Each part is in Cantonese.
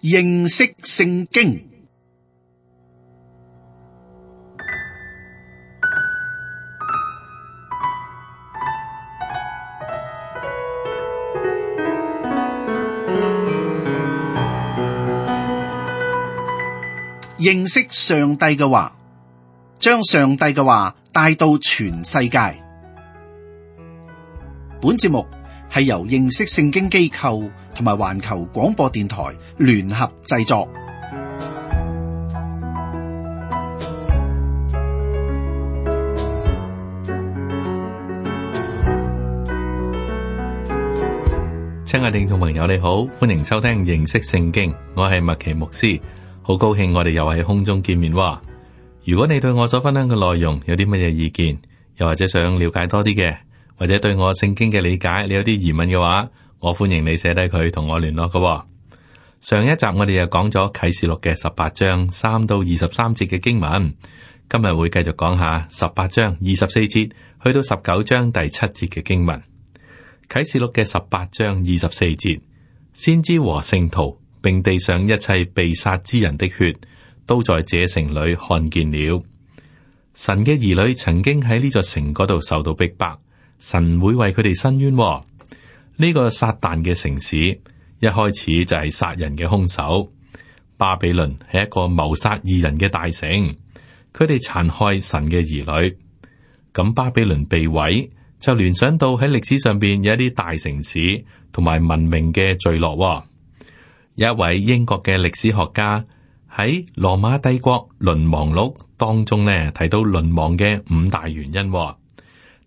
認識聖經。認識上帝嘅話，將上帝嘅話帶到全世界。本節目係由認識聖經機構同埋環球廣播電台聯合製作。親愛的聽眾朋友，你好，歡迎收聽認識聖經，我係麥奇牧師，好高興我哋又喺空中見面。如果你對我所分享嘅內容有啲乜嘢意見，又或者想了解多啲嘅，或者對我聖經嘅理解你有啲疑問嘅話，我歡迎你寫低佢同我聯絡嘅。上一集我哋又講咗啟示錄嘅18章3到23節嘅經文，今日會繼續講下18章24節去到19章第7節嘅經文。啟示錄嘅18章24節，先知和聖徒並地上一切被殺之人的血，都在這城裏看見了。神嘅兒女曾經喺呢座城嗰度受到逼迫，神會為佢哋伸冤。呢個撒旦嘅城市一開始就係殺人嘅兇手，巴比倫係一個謀殺義人嘅大城，佢哋殘害神嘅兒女。咁巴比倫被毀，就聯想到喺歷史上邊有一啲大城市同埋文明嘅墜落。有一位英國嘅歷史學家喺羅馬帝國淪亡錄當中呢，提到淪亡嘅5大原因。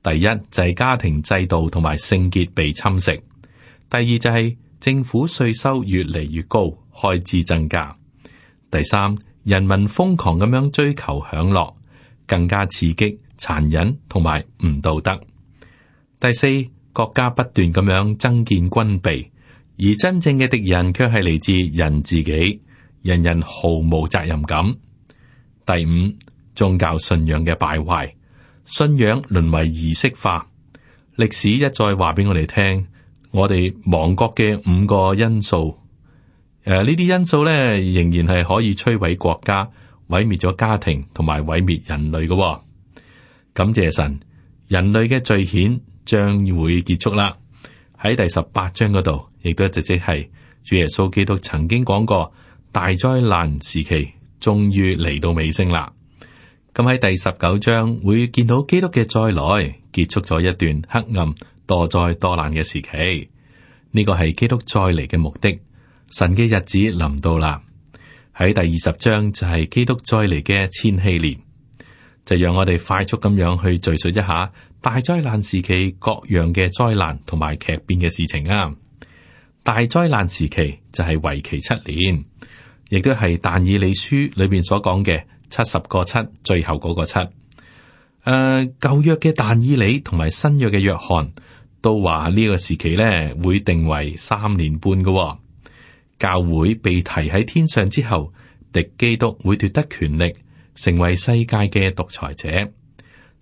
第一就係家庭制度同埋聖潔被侵蝕，第二就係政府稅收越嚟越高，開支增加，第三人民瘋狂咁樣追求享樂，更加刺激、殘忍同埋唔道德。第四，國家不斷咁樣增建軍備，而真正嘅敵人卻係嚟自人自己，人人毫無責任感。第五，宗教信仰嘅敗壞，信仰淪為儀式化。歷史一再話俾我哋聽，我哋亡國嘅5個因素。呢啲因素咧，仍然係可以摧毀國家、毀滅咗家庭同埋毀滅人類嘅。感謝神，人類嘅罪愆將會結束啦。喺第18章嗰度，亦都即係主耶穌基督曾經講過，大災難時期終於嚟到尾聲啦。咁喺第19章會見到基督嘅再來，結束咗一段黑暗、多災多難嘅時期。呢個係基督再嚟嘅目的，神嘅日子臨到啦。喺第20章就係基督再嚟嘅千禧年，就讓我哋快速咁樣去敘述一下大災難時期各樣嘅災難同埋劇變嘅事情啊。大災難時期就係為期7年，亦都係但以理書裏邊所講嘅70個7，最後嗰個7。舊約嘅但以理同埋新約嘅約翰都話呢個時期咧會定為3年半嘅。教會被提喺天上之後，敵基督會奪得權力，成為世界嘅獨裁者。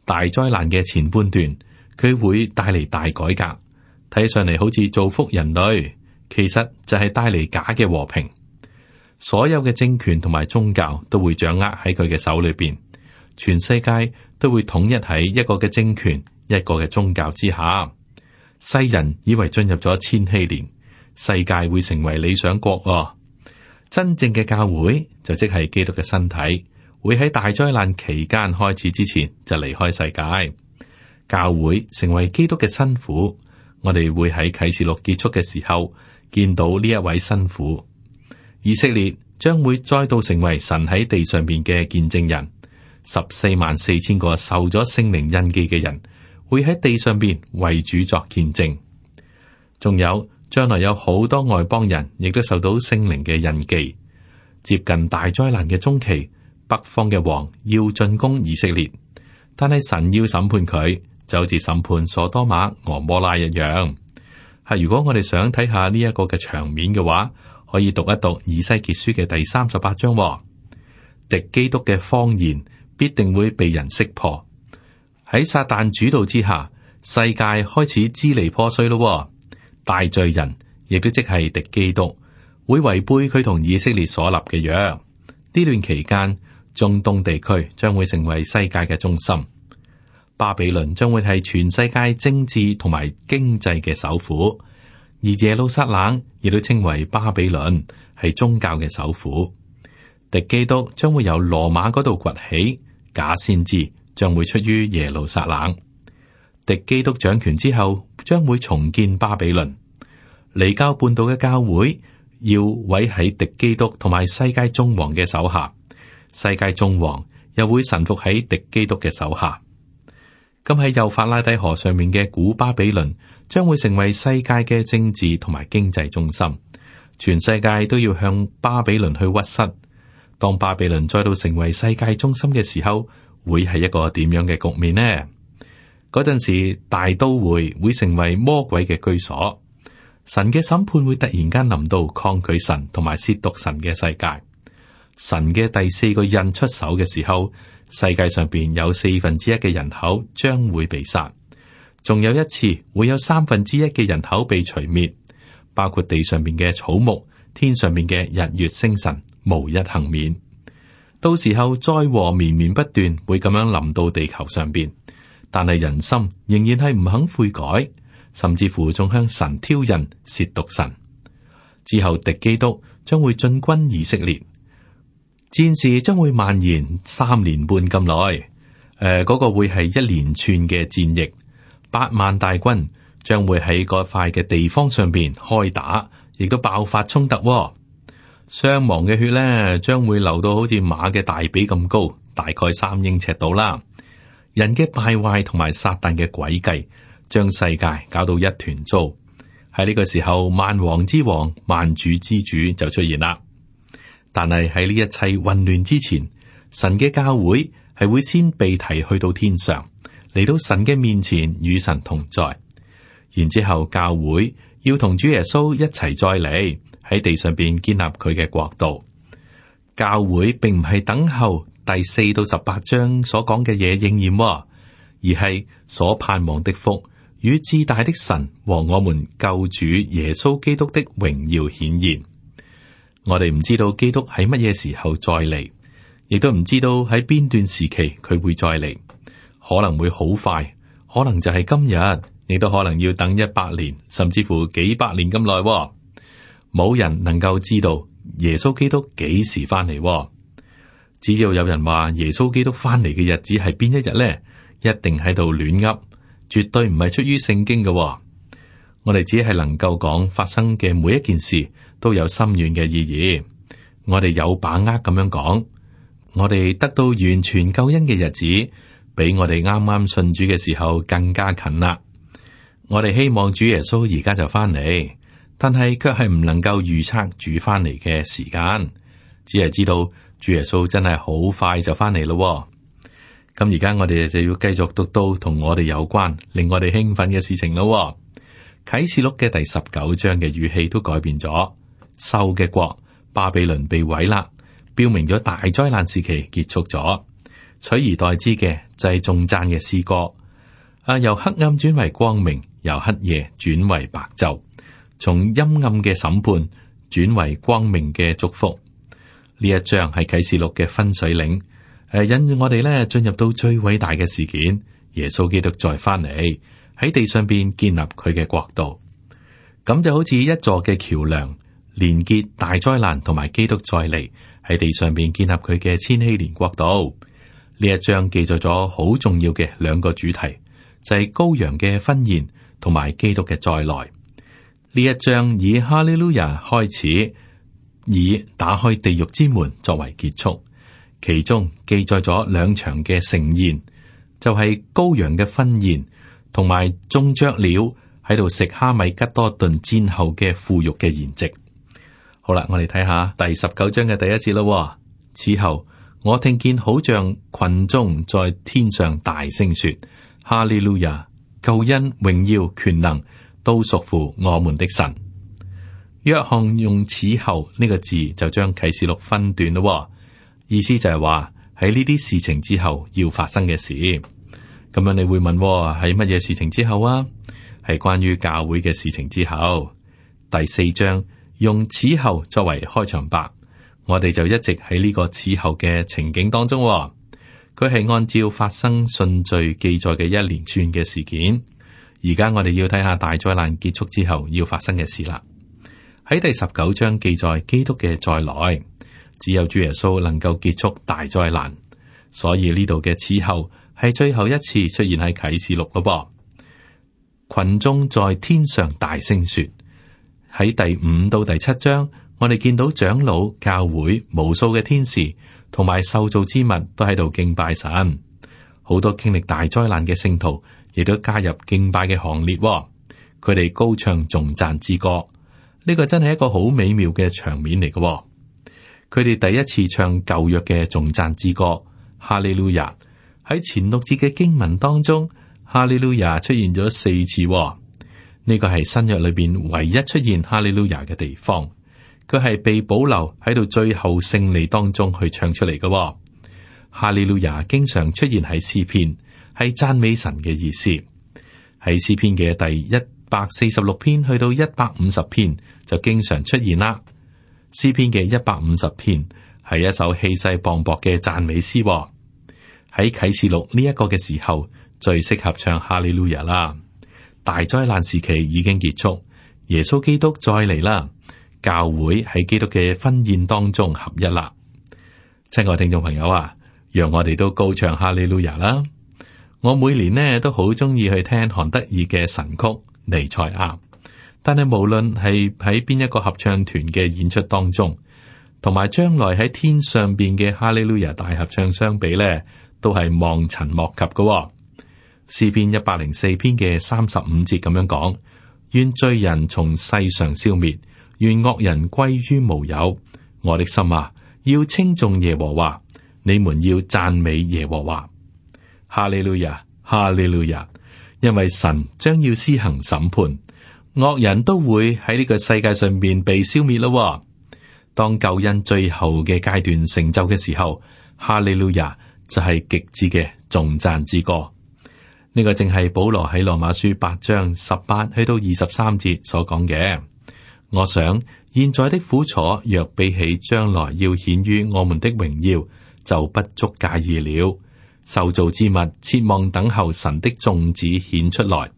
大災難嘅前半段，佢會帶嚟大改革，睇上嚟好似造福人類，其實就係帶嚟假嘅和平。所有嘅政權同埋宗教都會掌握喺佢嘅手裏邊，全世界都會統一喺一個嘅政權、一個嘅宗教之下。世人以為進入咗千禧年，世界會成為理想國。真正嘅教會就即係基督嘅身體，會喺大災難期間開始之前就離開世界。教會成為基督嘅新婦，我哋會喺啟示錄結束嘅時候見到呢一位新婦。以色列將會再度成為神喺地上邊嘅見證人，144000個受咗聖靈印記嘅人會喺地上邊為主作見證。仲有將來有好多外邦人亦都受到聖靈嘅印記。接近大災難嘅中期，北方嘅王要進攻以色列，但係神要審判佢，就好似審判所多瑪、俄摩拉一樣。如果我哋想睇下呢一個嘅場面嘅話，可以讀一讀以西結書嘅第38章。敵基督嘅謊言必定會被人識破。喺撒旦主導之下，世界開始支離破碎咯。大罪人亦都即係敵基督，會違背佢同以色列所立嘅約。呢段期間，中東地區將會成為世界嘅中心，巴比倫將會係全世界政治同埋經濟嘅首府，而耶路撒冷亦都稱為巴比倫，係宗教嘅首府。敵基督將會由羅馬嗰度崛起，假先知將會出於耶路撒冷。敵基督掌權之後，將會重建巴比倫。離經叛道嘅教會要委喺敵基督同埋世界眾王嘅手下，世界眾王又會臣服喺敵基督嘅手下。咁喺幼發拉底河上面嘅古巴比倫將會成為世界嘅政治同埋經濟中心，全世界都要向巴比倫去屈膝。當巴比倫再度成為世界中心嘅時候，會係一個點樣嘅局面呢？嗰陣時，大都會成為魔鬼嘅居所，神嘅審判會突然間臨到抗拒神同埋褻瀆神嘅世界。神嘅第四個印出手嘅時候，世界上邊有1/4嘅人口將會被殺，仲有一次會有1/3嘅人口被除滅，包括地上邊嘅草木、天上邊嘅日月星辰，無一幸免。到時候災禍綿綿不斷，會咁樣臨到地球上邊。但係人心仍然係唔肯悔改，甚至乎仲向神挑釁褻瀆神。之後敵基督將會進軍以色列，戰事將會蔓延3年半咁耐。嗰個會係一連串嘅戰役，8萬大軍將會喺嗰塊嘅地方上邊開打，亦都爆發衝突。傷亡嘅血咧，將會流到好似馬嘅大髀咁高，大概3英尺到啦。人嘅敗壞同埋撒旦嘅詭計，將世界搞到一團糟。喺呢個時候，萬王之王、萬主之主就出現啦。但係喺呢一切混亂之前，神嘅教會係會先被提去到天上，嚟到神嘅面前與神同在。然之後教會要同主耶穌一齊再嚟喺地上邊建立佢嘅國度。教會並唔係等候第4到18章所講嘅嘢應驗，而係所盼望的福與至大的神和我們救主耶穌基督的榮耀顯現。我哋唔知道基督喺乜嘢時候再嚟，亦都唔知道喺邊段時期佢會再嚟，可能會好快，可能就係今日，亦都可能要等100年，甚至乎幾百年咁耐。冇人能夠知道耶穌基督幾時翻嚟。只要有人話耶穌基督翻嚟嘅日子係邊一日呢？一定喺度亂噏，絕對唔係出於聖經嘅。我哋只係能夠講發生嘅每一件事都有深遠嘅意義。我哋有把握咁樣講，我哋得到完全救恩嘅日子，比我哋啱啱信主嘅時候更加近啦。我哋希望主耶穌而家就翻嚟，但係卻係唔能夠預測主翻嚟嘅時間，只係知道主耶穌真係好快就翻嚟咯。咁而家我哋就要繼續讀到同我哋有關、令我哋興奮嘅事情咯。啟示錄嘅第19章嘅語氣都改變咗，獸嘅國巴比倫被毀啦，標明咗大災難時期結束咗，取而代之嘅就係頌讚嘅詩歌。由黑暗轉為光明，由黑夜轉為白晝，從陰暗嘅審判轉為光明嘅祝福。呢一章係啟示錄嘅分水嶺，引住我哋咧進入到最偉大嘅事件，耶穌基督再翻嚟喺地上邊建立佢嘅國度。咁就好似一座嘅橋樑，連結大災難同埋基督再嚟喺地上邊建立佢嘅千禧年國度。呢一章記載咗好重要嘅2個主題，就係羔羊嘅婚宴同埋基督嘅再來。呢一章以哈利路亞開始，以打開地獄之門作為結束。其中記載咗2場嘅盛宴，就係羔羊嘅婚宴同埋眾雀鳥喺度食哈米吉多頓戰後嘅腐肉嘅筵席。好啦，我哋睇下第19章嘅第1節咯。此後我聽見好像群眾在天上大聲說：哈利路亞！救恩、榮耀、權能都屬乎我們的神。約翰用此後呢個字就將啟示錄分段咯，意思就係話喺呢啲事情之後要發生嘅事。咁樣你會問喺乜嘢事情之後啊？係關於教會嘅事情之後。第4章用此後作為開場白，我哋就一直喺呢個此後嘅情景當中。佢係按照發生順序記載嘅一連串嘅事件。而家我哋要睇下大災難結束之後要發生嘅事啦。喺第19章記載基督嘅再來，只有主耶穌能夠結束大災難，所以呢度嘅此後係最後一次出現喺啟示錄咯噃。群眾在天上大聲說，喺第5到第7章，我哋見到長老、教會、無數嘅天使同埋受造之物都喺度敬拜神。好多經歷大災難嘅聖徒亦都加入敬拜嘅行列，佢哋高唱頌讚之歌。呢個真係一個好美妙嘅場面嚟嘅。佢哋第一次唱舊約嘅頌讚之歌，哈利路亞。喺前6節嘅經文當中，哈利路亞出現咗4次。呢個係新約裏邊唯一出現哈利路亞嘅地方。佢係被保留喺度最後勝利當中去唱出嚟嘅。哈利路亞經常出現喺詩篇，係讚美神嘅意思。喺詩篇嘅第146篇去到150篇就經常出現啦。詩篇嘅150篇係一首氣勢磅礴嘅讚美詩。喺啟示錄呢一個嘅時候，最適合唱哈利路亞啦。大災難時期已經結束，耶穌基督再嚟啦，教會喺基督嘅婚宴當中合一啦。親愛聽眾朋友啊，讓我哋都高唱哈利路亞啦！我每年呢都好中意去聽韓德爾嘅神曲《彌賽亞》，但係無論係喺邊一個合唱團嘅演出當中，同埋將來喺天上邊嘅哈利路亞大合唱相比呢，都係望塵莫及嘅。詩篇104篇嘅35節咁樣講：願罪人從世上消滅，願惡人歸於無有。我的心啊，要稱頌耶和華，你們要讚美耶和華。哈利路亞，哈利路亞！因為神將要施行審判，惡人都會喺呢個世界上邊被消滅咯。當救恩最後嘅階段成就嘅時候，哈利路亞就係極致嘅頌讚之歌。呢個正係保羅喺羅馬書8章18去到23節所講嘅。我想現在的苦楚若比起將來要顯於我們的榮耀，就不足介意了。受造之物切望等候神的眾子顯出來，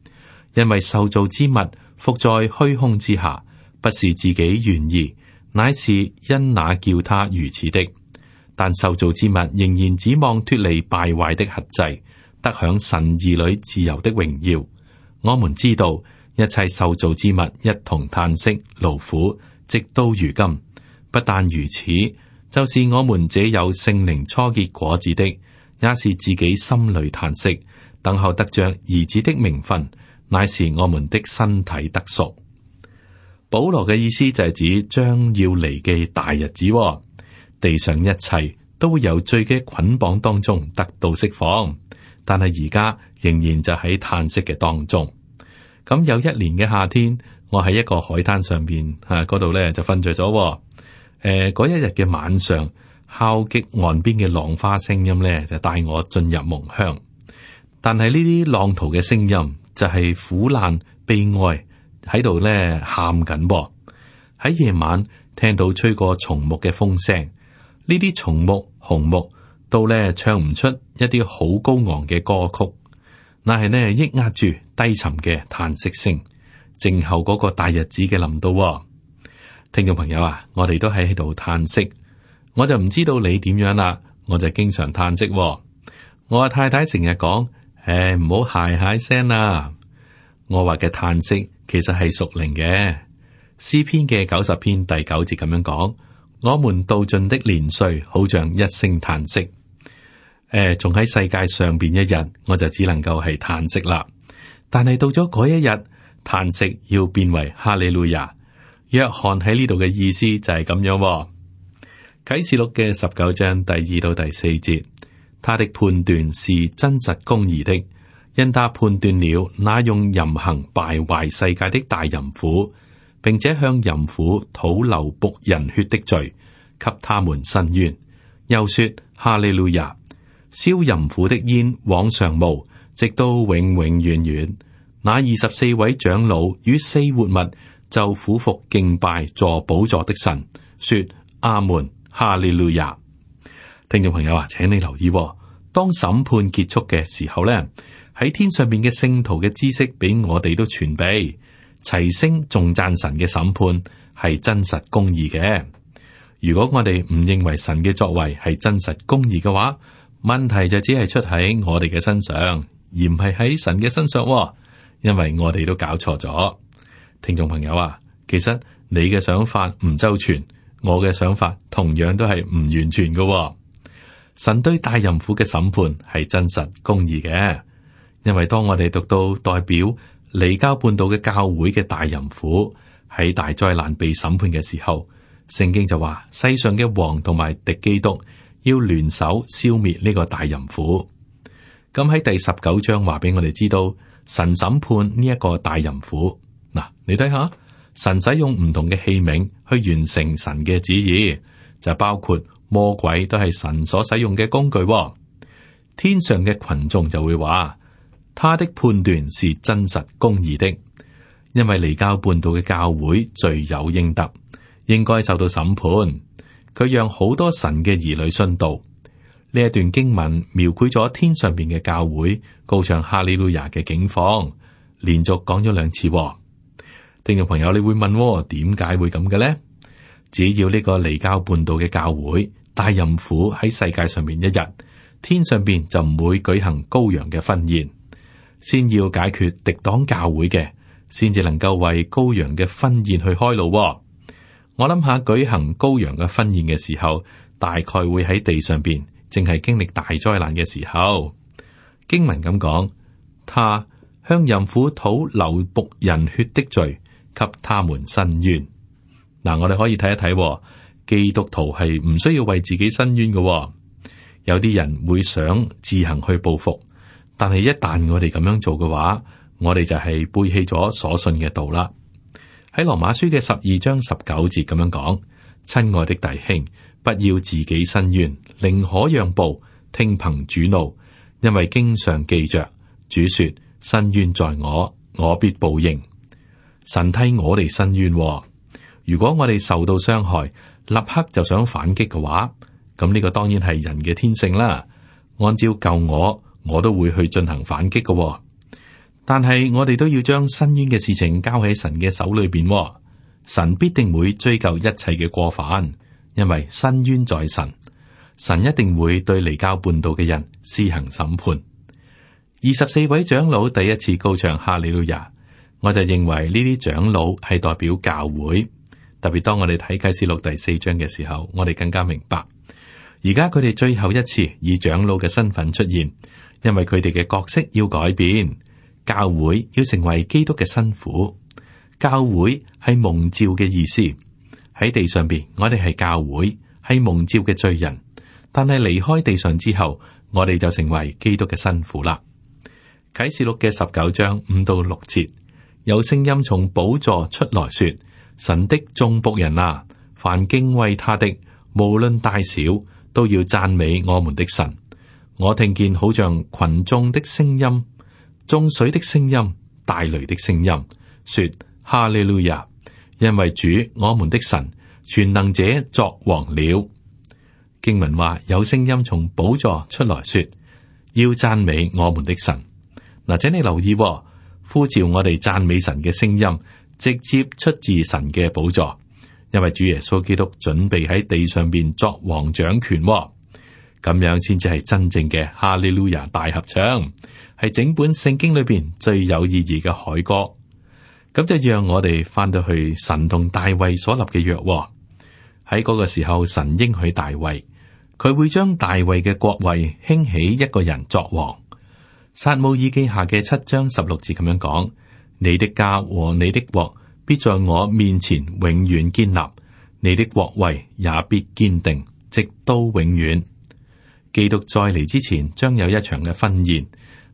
因為受造之物伏在虛空之下，不是自己願意，乃是因那叫他如此的。但受造之物仍然指望脫離敗壞的轄制，得享神兒女自由的榮耀。我們知道一切受造之物一同嘆息勞苦，直到如今。不但如此，就是我們這有聖靈初結果子的，也是自己心裏嘆息，等候得着兒子的名分，乃是我們的身體得贖。保羅嘅意思就係指將要嚟嘅大日子，地上一切都會由罪嘅捆綁當中得到釋放，但係而家仍然就喺嘆息嘅當中。咁有一年嘅夏天，我喺一個海灘上邊嗰度咧就瞓着咗。嗰一日嘅晚上，敲擊岸邊嘅浪花聲音咧就帶我進入夢鄉。但係呢啲浪濤嘅聲音就係苦難悲哀喺度咧喊緊噃。喺夜晚聽到吹過松木嘅風聲，呢啲松木、紅木都咧唱唔出一啲好高昂嘅歌曲，乃係呢抑壓住低沉嘅嘆息聲，靜候嗰個大日子嘅臨到。聽眾朋友啊，我哋都喺度嘆息，我就唔知道你點樣啦，我就經常嘆息。我阿太太成日講，唔好鞋鞋聲啦。我話嘅嘆息其實係屬靈嘅。詩篇嘅90篇第9節咁樣講：我們度盡的年歲，好像一聲嘆息。仲喺世界上邊一日，我就只能夠係嘆息啦。但係到咗嗰一日，嘆息要變為哈利路亞。約翰喺呢度嘅意思就係咁樣。啟示錄嘅19章第2到第4節，他的判斷是真實公義的，因他判斷了那用淫行敗壞世界的大淫婦，並且向淫婦討流僕人血的罪，給他們伸冤。又說哈利路亞，燒淫婦的煙往上冒，直到永永遠遠。那24位長老與4活物就俯伏敬拜坐寶座的神，說阿門，哈利路亞。聽眾朋友啊，請你留意，當審判結束嘅時候呢，喺天上邊嘅聖徒嘅知識俾我哋都傳備，齊聲頌讚神嘅審判係真實公義嘅。如果我哋唔認為神嘅作為係真實公義嘅話，問題就只係出喺我哋嘅身上，而唔係喺神嘅身上，因為我哋都搞錯咗。聽眾朋友啊，其實你嘅想法唔周全，我嘅想法同樣都係唔完全嘅。神對大淫婦嘅審判係真實公義嘅，因為當我哋讀到代表離交半島嘅教會嘅大淫婦喺大災難被審判嘅時候，聖經就話世上嘅王同埋敵基督要聯手消滅呢個大淫婦。咁喺第19章話俾我哋知道，神審判呢一個大淫婦。嗱，你睇下，神使用唔同嘅器皿去完成神嘅旨意，就包括魔鬼都係神所使用嘅工具。天上嘅群眾就會話，他的判斷是真實公義的，因為離交半島嘅教會罪有應得，應該受到審判。佢讓好多神嘅兒女殉道。呢一段經文描繪咗天上邊嘅教會高唱哈利路亞嘅景況，連續講咗2次。聽眾朋友，你會問，點解會咁嘅呢？只要呢個離交半島嘅教會大淫婦喺世界上面一日，天上邊就唔會舉行羔羊嘅婚宴。先要解決敵擋教會嘅，先至能夠為羔羊嘅婚宴去開路。我諗下舉行羔羊嘅婚宴嘅時候，大概會喺地上邊，正係經歷大災難嘅時候。經文咁講，他向淫婦討流僕人血的罪，給他們伸冤。嗱，我哋可以睇一睇，基督徒係唔需要為自己伸冤嘅。有啲人會想自行去報復，但係一旦我哋咁樣做嘅話，我哋就係背棄咗所信嘅道啦。喺羅馬書嘅12章19節咁樣講，親愛的弟兄，不要自己伸冤，寧可讓步，聽憑主怒，因為經上記着，主說：伸冤在我，我必報應。神替我哋伸冤。如果我哋受到傷害，立刻就想反擊嘅話，咁呢個當然係人嘅天性啦。按照舊我都會去進行反擊嘅。但係我哋都要將伸冤嘅事情交喺神嘅手裏邊。神必定會追究一切嘅過犯，因為伸冤在神。神一定會對離交半島嘅人施行審判。24位長老第一次高唱哈利路亞，我就認為呢啲長老係代表教會。特別當我哋睇啟示錄第4章嘅時候，我哋更加明白，而家佢哋最後一次以長老嘅身份出現，因為佢哋嘅角色要改變，教會要成為基督嘅新婦。教會係蒙召嘅意思。喺地上邊，我哋係教會，係蒙召嘅罪人，但係離開地上之後，我哋就成為基督嘅新婦啦。啟示錄嘅19章5到6節，有聲音從寶座出來說：神的眾僕人啊，凡敬畏他的，無論大小，都要讚美我們的神。我聽見好像群眾的聲音、眾水的聲音、大雷的聲音，說：哈利路亞！因為主我們的神全能者作王了。經文話有聲音從寶座出來說，要讚美我們的神。嗱，請你留意，呼召我哋讚美神嘅聲音，直接出自神嘅寶座，因為主耶穌基督準備喺地上邊作王掌權，咁樣先至係真正嘅哈利路亞大合唱，係整本聖經裏邊最有意義嘅凱歌。咁就讓我哋翻到去神同大衛所立嘅約，喺嗰個時候，神應許大衛，佢會將大衛嘅國位興起一個人作王。撒母耳記下嘅7章16節咁樣講：你的家和你的國必在我面前永遠堅立，你的國位也必堅定，直到永遠。基督再嚟之前，將有一場嘅婚宴，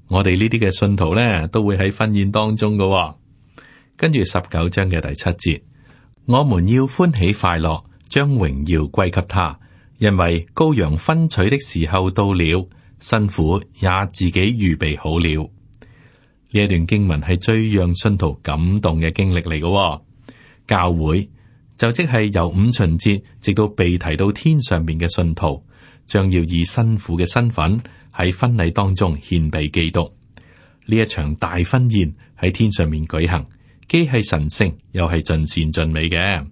我哋呢啲嘅信徒呢，都會喺婚宴當中嘅。跟住19章嘅第7節，我們要歡喜快樂，將榮耀歸給他，因為羔羊婚娶的時候到了，新婦也自己預備好了。呢一段經文係最讓信徒感動嘅經歷嚟嘅。教會就即係由五旬節直到被提到天上面嘅信徒，將要以新婦嘅身份喺婚禮當中獻俾基督。呢一場大婚宴喺天上面舉行，既係神聖又係盡善盡美嘅。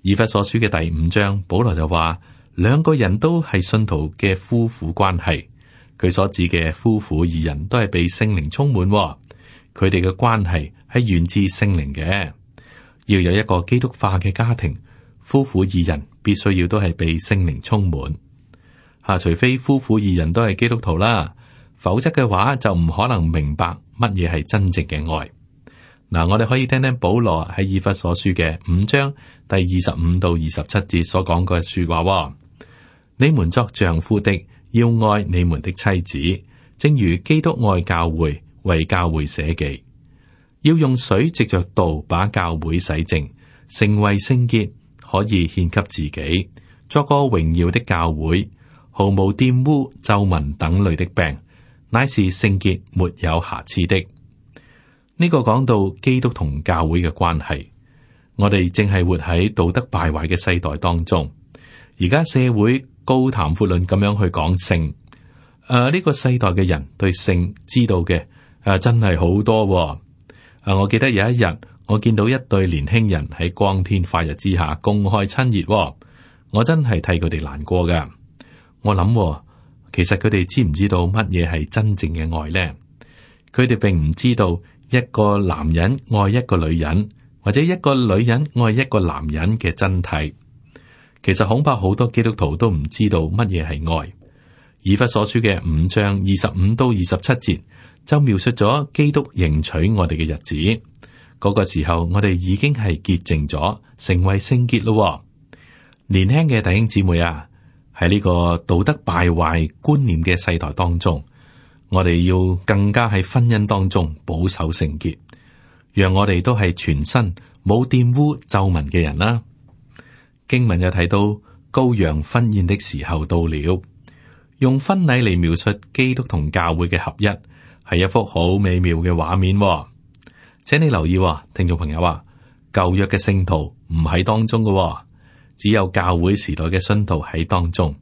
以弗所書嘅第5章，保羅就話兩個人都係信徒嘅夫婦關係。佢所指嘅夫婦二人都係被聖靈充滿，佢哋嘅關係係源自聖靈嘅。要有一個基督化嘅家庭，夫婦二人必須要都係被聖靈充滿。除非夫婦二人都係基督徒啦，否則嘅話就唔可能明白乜嘢係真正嘅愛。嗱，我哋可以聽聽保羅喺以弗所書嘅5章第25到27節所講嘅說話。你們作丈夫的，要愛你們的妻子，正如基督愛教會，為教會捨己。要用水藉着道把教會洗淨，成為聖潔，可以獻給自己，作個榮耀的教會，毫無玷污、皺紋等類的病，乃是聖潔沒有瑕疵的。呢個講到基督同教會嘅關係，我哋正係活喺道德敗壞嘅世代當中。而家社會高談闊論咁樣去講性，呢個世代嘅人對性知道嘅真係好多。我記得有一日，我見到一對年輕人喺光天化日之下公開親熱，我真係替佢哋難過噶。我諗，其實佢哋知唔知道乜嘢係真正嘅愛呢？佢哋並唔知道一個男人愛一個女人，或者一個女人愛一個男人嘅真諦。其實恐怕好多基督徒都唔知道乜嘢係愛。以弗所書嘅5章25到27節就描述咗基督迎娶我哋嘅日子。嗰個時候，我哋已經係潔淨咗，成為聖潔咯。年輕嘅弟兄姊妹啊，喺呢個道德敗壞觀念嘅世代當中，我哋要更加喺婚姻當中保守聖潔，讓我哋都係全身冇玷污皺紋嘅人啦。經文又提到羔羊婚宴的時候到了，用婚禮嚟描述基督同教會嘅合一，係一幅好美妙嘅畫面。請你留意，聽眾朋友啊，舊約嘅聖徒唔喺當中嘅，只有教會時代嘅信徒喺當中。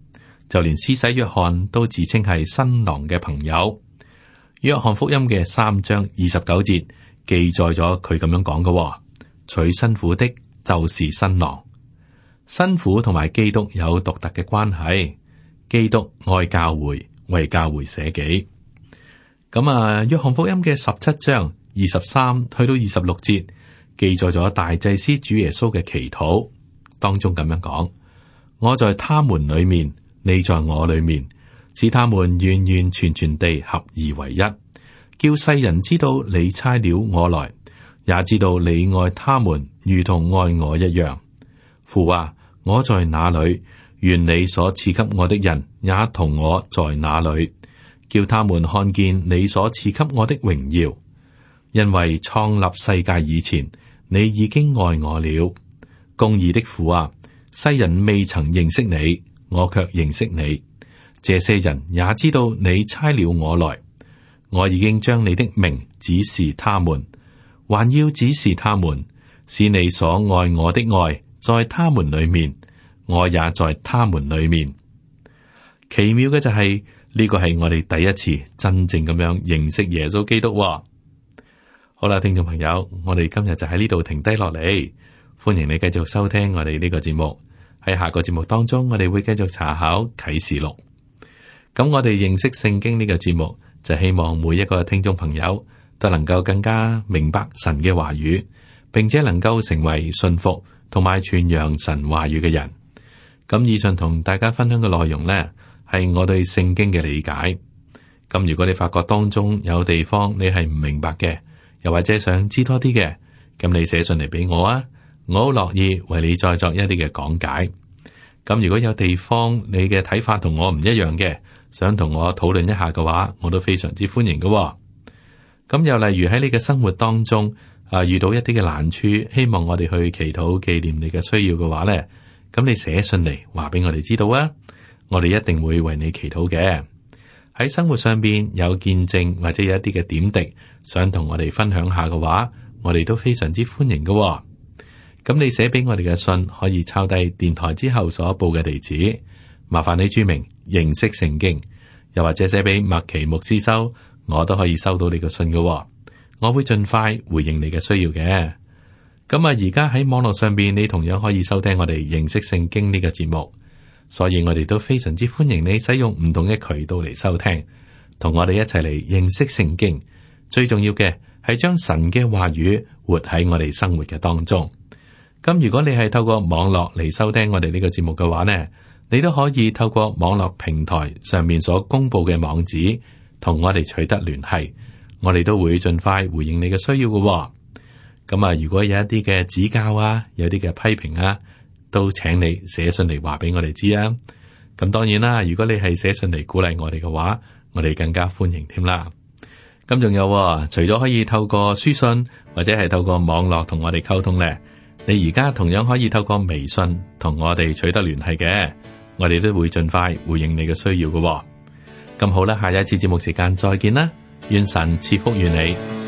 就連施洗約翰都自稱係新郎嘅朋友。約翰福音嘅3章29節記載咗佢咁樣講嘅：娶新婦的就是新郎。新婦同埋基督有獨特嘅關係，基督愛教會，為教會捨己。約翰福音嘅17章23去到26節記載咗大祭司主耶穌嘅祈禱，當中咁樣講：我在他們裏面，你在我裏面，使他們完完全全地合而為一，叫世人知道你差了我來，也知道你愛他們如同愛我一樣。父啊，我在哪裏，願你所賜給我的人也同我在那裏，叫他們看見你所賜給我的榮耀。因為創立世界以前，你已經愛我了。公義的父啊，世人未曾認識你，我卻認識你。這些人也知道你差了我來，我已經將你的名指示他們，還要指示他們，使你所愛我的愛在他們裏面，我也在他們裏面。奇妙嘅就係呢個係我哋第一次真正咁樣認識耶穌基督。好啦，聽眾朋友，我哋今日就喺呢度停低落嚟，歡迎你繼續收聽我哋呢個節目。喺下個節目當中，我哋會繼續查考啟示錄。咁我哋認識聖經呢個節目，就希望每一個聽眾朋友都能夠更加明白神嘅話語，並且能夠成為信服同埋傳揚神話語嘅人。咁以上同大家分享嘅內容呢，係我對聖經嘅理解。咁如果你發覺當中有地方你係唔明白嘅，又或者想知多啲嘅，咁你寫信嚟俾我啊，我好樂意為你再作一啲嘅講解。咁如果有地方你嘅睇法同我唔一樣嘅，想同我討論一下嘅話，我都非常之歡迎嘅。咁又例如喺你嘅生活當中遇到一啲嘅難處，希望我哋去祈禱紀念你嘅需要嘅話呢，咁你寫信嚟話俾我哋知道啊，我哋一定會為你祈禱嘅。喺生活上邊有見證或者有一啲嘅點滴，想同我哋分享下嘅話，我哋都非常之歡迎嘅。咁你寫俾我哋嘅信可以抄低電台之後所報嘅地址，麻煩你注明認識聖經，又或者寫俾麥奇牧師收，我都可以收到你嘅信嘅。我會盡快回應你嘅需要嘅。咁啊，而家喺網絡上邊，你同樣可以收聽我哋認識聖經呢個節目，所以我哋都非常之歡迎你使用唔同嘅渠道嚟收聽，同我哋一齊嚟認識聖經。最重要嘅係將神嘅話語活喺我哋生活嘅當中。咁如果你係透過網絡嚟收聽我哋呢個節目嘅話呢，你都可以透過網絡平台上面所公布嘅網址同我哋取得聯繫，我哋都會盡快回應你嘅需要嘅。咁啊，如果有一啲嘅指教啊，有啲嘅批評啊，都請你寫信嚟話俾我哋知啊。咁當然啦，如果你係寫信嚟鼓勵我哋嘅話，我哋更加歡迎添啦。咁仲有，除咗可以透過書信或者係透過網絡同我哋溝通咧，你而家同樣可以透過微信同我哋取得聯繫嘅，我哋都會盡快回應你嘅需要嘅。咁好啦，下一次節目時間再見啦，願神賜福於你。